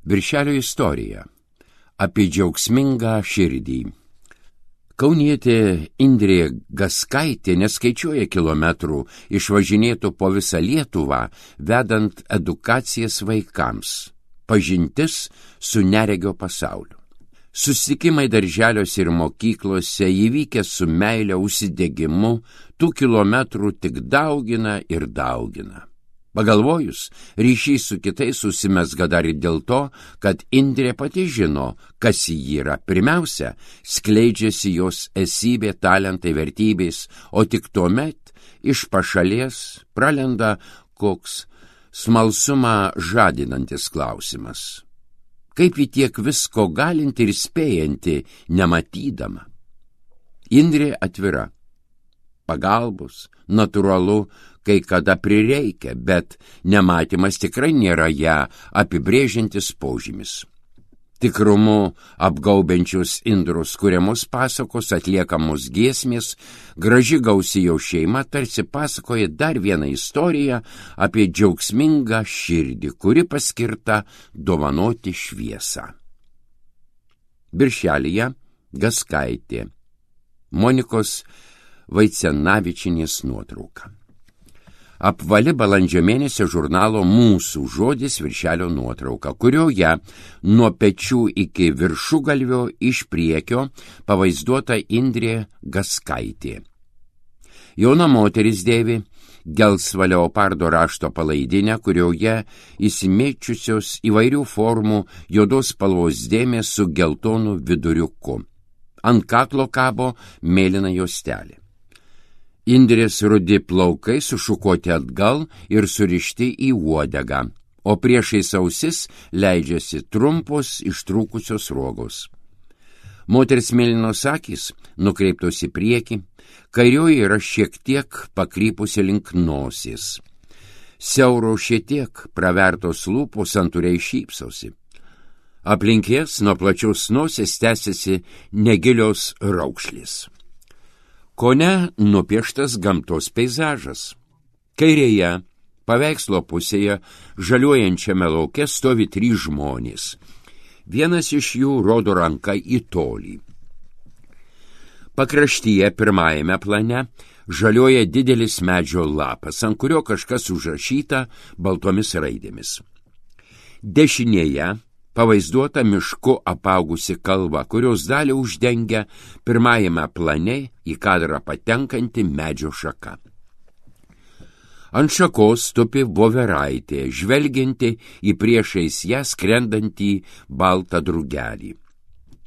Viršelio istorija apie džiaugsmingą širdį. Kaunietė Indrė Gaskaitė neskaičiuoja kilometrų išvažinėtų po visą Lietuvą, vedant edukacijas vaikams, pažintis su neregio pasauliu. Susitikimai darželiuose ir mokyklose įvykę su meile užsidegimu, tų kilometrų tik daugina ir daugina. Pagalvojus, ryšys su kitais užsimezga dar ir dėl to, kad Indrė pati žino, kas ji yra. Pirmiausia, skleidžiasi jos esybė, talentai, vertybės, o tik tuomet iš pašalies pralenda koks smalsumą žadinantis klausimas. Kaip ji tiek visko galinti ir spėjanti, nematydama? Indrė atvira. Pagalbos, natūralu, kai kada prireikia, bet nematymas tikrai nėra ją apibrėžiantis požymis. Tikrumu apgaubiančius Indros kuriamos pasakos, atliekamos giesmės, graži gausi jau šeima tarsi pasakoja dar vieną istoriją apie džiaugsmingą širdį, kuri paskirta dovanoti šviesą. Viršelyje Gaskaitė, Monikos Vaicenavičienės nuotrauka. Apvali balandžio mėnesio žurnalo Mūsų žodis viršelio nuotrauka, kurioje nuo pečių iki viršugalvio iš priekio pavaizduota Indrė Gaskaitė. Jauna moteris dėvi gelsvą leopardo rašto palaidinę, kurioje įsimėčiusios įvairių formų juodos spalvos dėmės su geltonu viduriuku. Ant kaklo kabo mėlyna juostelė. Indrės rudi plaukai sušukoti atgal ir surišti į uodegą, o priešais ausis leidžiasi trumpos ištrūkusios rogos. Moters mėlynos akys nukreiptos į priekį, kairioji yra šiek tiek pakrypusi link nosies. Siauro šiek tiek pravertos lūpos santūriai šypsosi. Aplink jas nuo plačios nosies tęsiasi negilios raukšlės. Kone nupieštas gamtos peizažas. Kairėje, paveikslo pusėje, žaliuojančiame lauke stovi 3 žmonės. Vienas iš jų rodo ranką į tolį. Pakraštyje pirmajame plane žaliuoja didelis medžio lapas, ant kurio kažkas užrašyta baltomis raidėmis. Dešinėje pavaizduota mišku apaugusi kalva, kurios dalį uždengia pirmajame plane į kadrą patenkanti medžio šaka. Ant šakos tupi voveraitė, žvelgianti į priešais ją skrendantį baltą drugelį.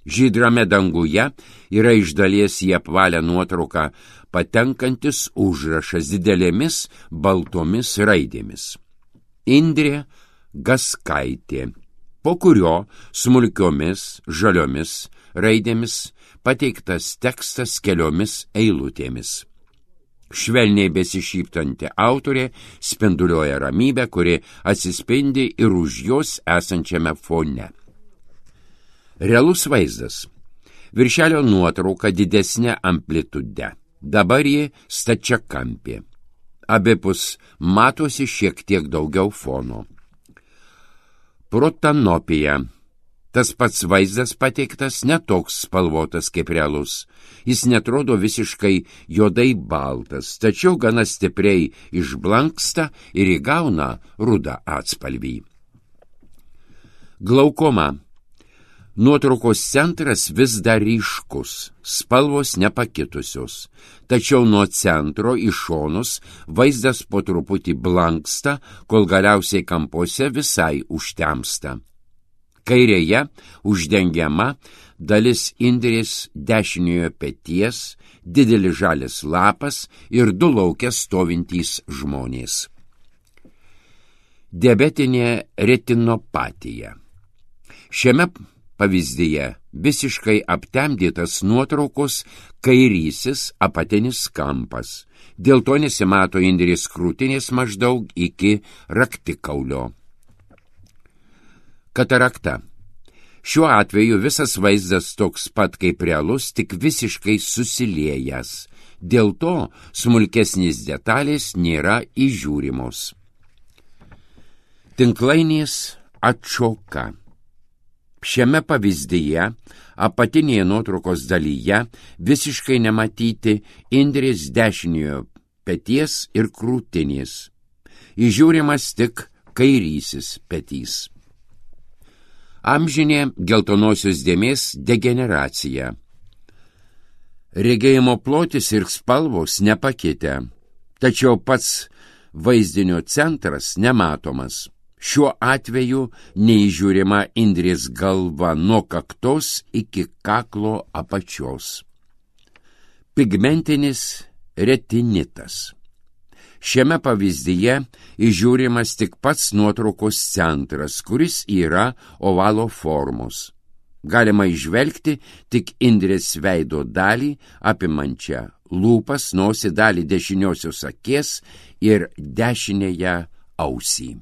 Žydrame danguje yra iš dalies į apvalę nuotrauką patenkantis užrašas didelėmis baltomis raidėmis. Indrė Gaskaitė, po kurio smulkiomis žaliomis raidėmis pateiktas tekstas keliomis eilutėmis. Švelniai besišyptanti autorė spinduliuoja ramybę, kuri atsispindi ir už jos esančiame fone. Realus vaizdas. Viršelio nuotrauka didesnė amplitude. Dabar ji stačiakampė. Abipus matosi šiek tiek daugiau fono. Protanopija. Tas pats vaizdas pateiktas netoks spalvotas kaip realus. Jis netrodo visiškai juodai baltas, tačiau gana stipriai išblanksta ir įgauna rudą atspalvį. Glaukoma. Nuotraukos centras vis dar ryškus, spalvos nepakitusios, tačiau nuo centro į šonus vaizdas po truputį blanksta, kol galiausiai kampuose visai užtemsta. Kairėje uždengiama dalis Indrės dešiniojo peties, didelis žalias lapas ir 2 lauke stovintys žmonės. Diabetinė retinopatija. Šiame pavyzdyje visiškai aptemdytas nuotraukos kairysis apatinis kampas. Dėl to nesimato Indrės krūtinės maždaug iki raktikaulio. Katarakta. Šiuo atveju visas vaizdas toks pat kaip realus, tik visiškai susiliejęs. Dėl to smulkesnės detalės nėra įžiūrimos. Tinklainės atšoka. Šiame pavyzdyje apatinėje nuotraukos dalyje visiškai nematyti Indrės dešiniojo peties ir krūtinės. Įžiūrimas tik kairysis petys. Amžinė geltonosios dėmės degeneracija. Regėjimo plotis ir spalvos nepakitę, tačiau pats vaizdinio centras nematomas. Šiuo atveju neįžiūrima Indrės galva nuo kaktos iki kaklo apačios. Pigmentinis retinitas. Šiame pavyzdyje įžiūrimas tik pats nuotraukos centras, kuris yra ovalo formos. Galima įžvelgti tik Indrės veido dalį, apimančią lūpas, nosį, dalį dešiniosios akies ir dešinėje ausį.